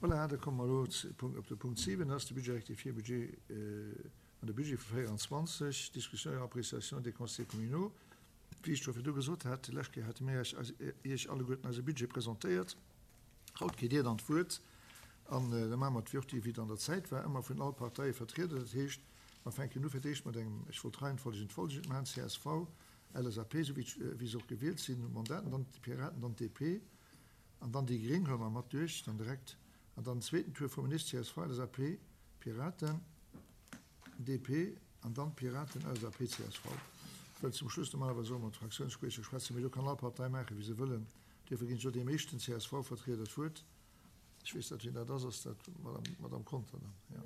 Voilà, da komme mer elo op de Punkt 7, dat ass de Budget rectifié, Budget an de Budget vu 24, Discussion et appréciation des conseillers communaux. Wéi ech scho virdu gesot hat, déi lescht Kéier hate mir Iech alleguerten eise Budget presentéiert. Haut kritt Dir dann d'Wuert an da maache mer d'Würti, wéi et an der Zäit war, ëmmer vun all Parteie vertrieden. Dat heescht, mer fänken u fir d'éischt mat engem, ech wollt d'Reihenfolg und folgend maachen, csv, LSAP, esou wéi se och gewielt sinn, Mandaten, dann d'Piraten, dann d'DP an dann déi Gréng huele mer mat duerch dann direkt an dann den zweeten Tour vum Minister, csv, LSAP, Piraten, DP an dann d'Piraten, LSAP, csv. Wëll zum Schluss normalerweis och ëmmer d'Fraktiounsspriecher schwätzen, mee do kann all Partei maachen, wéi se wëllen. Duerfir ginn ech elo deem éischten csv-Vertrieder d'Wuert. Ech weess net, wien dat ass. Ass dat d'Madame Conter dann? Jo.